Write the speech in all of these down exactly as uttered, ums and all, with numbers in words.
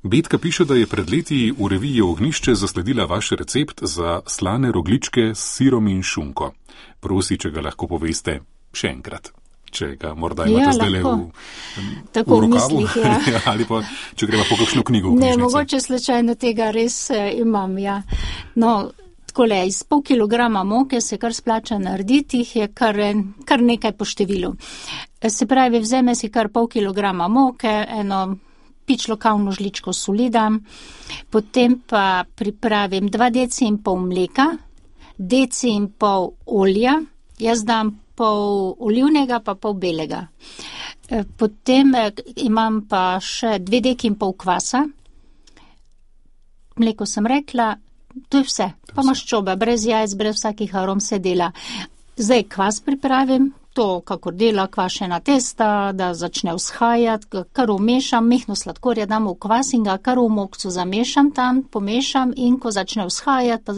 Betka piše, da je pred leti v reviji Ognjišče zasledila vaš recept za slane rogljičke s sirom in šunko. Prosi, če ga lahko poveste še enkrat. Če ga morda imate Ja, zdaj le v, lahko. v Tako v rokavu. mislih, ja. Ali pa, če greva po kakšno knjigo v Ne, knjižnici. mogoče slučajno tega res eh, imam, ja. No, takole, iz pol kilograma moke se kar splača narediti, jih je kar, en- kar nekaj po številu. Eh, Se pravi, vzeme si kar pol kilograma moke, eno pičlo kavno žličko soli dam, potem pa pripravim dva deci in pol mleka, deci in pol olja, jaz dam pol olivnega pa pol belega. Eh, Potem eh, imam pa še dve deki in pol kvasa, mleko sem rekla, to je vse. Pa maščoba, brez jajc, brez vsakih arom se dela. Zdaj kvas pripravim, to kakor dela kvašena testa, da začne vzhajati, ga kar umešam, mehno sladkorja dam v kvas in ga kar v mokcu zamešam tam, pomešam in ko začne vzhajati, pa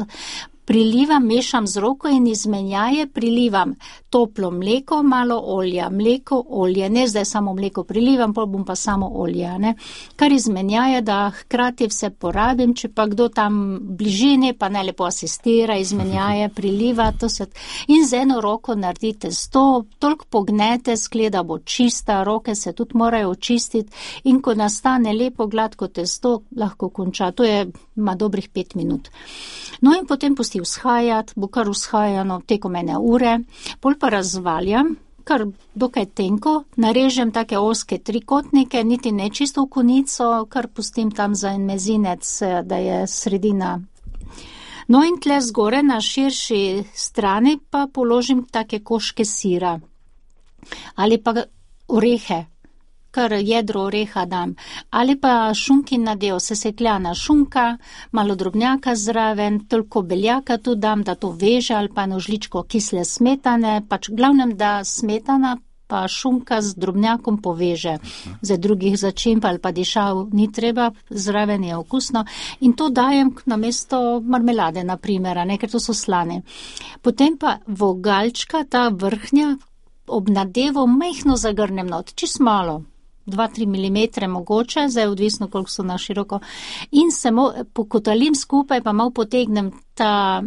prilivam, mešam z roko in izmenjaje prilivam toplo mleko, malo olja, mleko, olje, ne zdaj samo mleko prilivam, pol bom pa samo olje, ne. Kar izmenjaje, da hkrati vse porabim, če pa kdo tam bližini, pa ne lepo asistira, izmenjaje, priliva, to se, in z eno roko naredite sto, toliko pognete, skleda bo čista, roke se tudi morajo očistiti in ko nastane lepo gladko testo, lahko konča, to je, ima dobrih pet minut. No in potem pusti vzhajati, bo kar vzhajano tekom ene ure, pol pa razvaljam, kar dokaj tenko, narežem take ozke trikotnike, niti ne čisto v konico, kar pustim tam za en mezinec, eh, da je sredina. No in tle zgore na širši strani pa položim take koške sira ali pa orehe, kar jedro oreha dam, ali pa šunkin nadev, sesekljana šunka, malo drobnjaka zraven, toliko beljaka tu dam, da to veže, ali pa eno žličko kisle smetane, pač glavnem, da smetana pa šunka z drobnjakom poveže. Za drugih začimb ali pa dišav ni treba, zraven je okusno in to dajem namesto marmelade, na primer, a ne, ker to so slane. Potem pa vogalčka, ta vrhnja, ob nadevu majhno zagrnem not, čist malo, dva tri milimetre mogoče, zdaj odvisno, koliko so na široko, in se mo, pokotalim skupaj, pa malo potegnem ta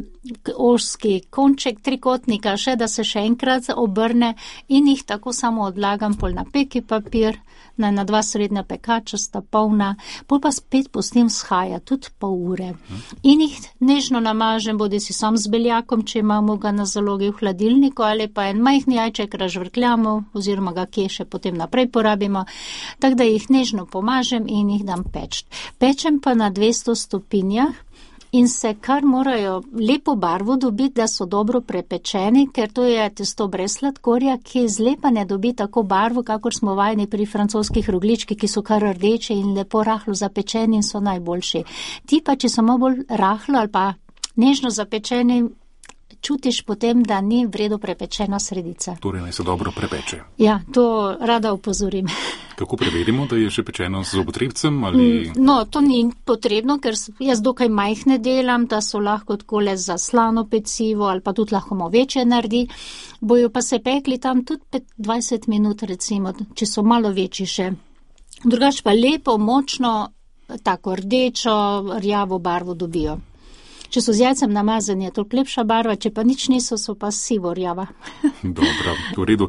ožski konček trikotnika še, da se še enkrat obrne in jih tako samo odlagam pol na peki papir, na, na dva srednja pekača sta polna, pol pa spet pustim vzhaja, tudi pol ure. In jih nežno namažem, bodi si sam z beljakom, če imamo ga na zalogi v hladilniku, ali pa en majhni jajček razžvrkljamo, oziroma ga kje še potem naprej porabimo, tako da jih nežno pomažem in jih dam peč. Pečem pa na dvesto stopinjah, in se kar morajo lepo barvo dobiti, da so dobro prepečeni, ker to je testo brez sladkorja, ki zlepa ne dobi tako barvo, kakor smo vajeni pri francoskih rogljičkih, ki so kar rdeče in lepo rahlo zapečeni in so najboljši. Ti pa, če so malo bolj rahlo ali pa nežno zapečeni, čutiš potem, da ni vredo prepečena sredica. Torej naj se dobro prepeče. Ja, to rada opozorim. Kako preverimo, da je že pečeno z zobotrebcem ali... No, to ni potrebno, ker s- jaz dokaj majhne delam, da so lahko takole za slano pecivo ali pa tudi lahko malo večje naredi. Bojo pa se pekli tam tudi pet, dvajset minut recimo, če so malo večji še. Drugače pa lepo, močno, tako rdečo, rjavo barvo dobijo. Če so z jajcem namazani, je to lepša barva, če pa nič niso, so pa sivo rjava. Dobro, v redu.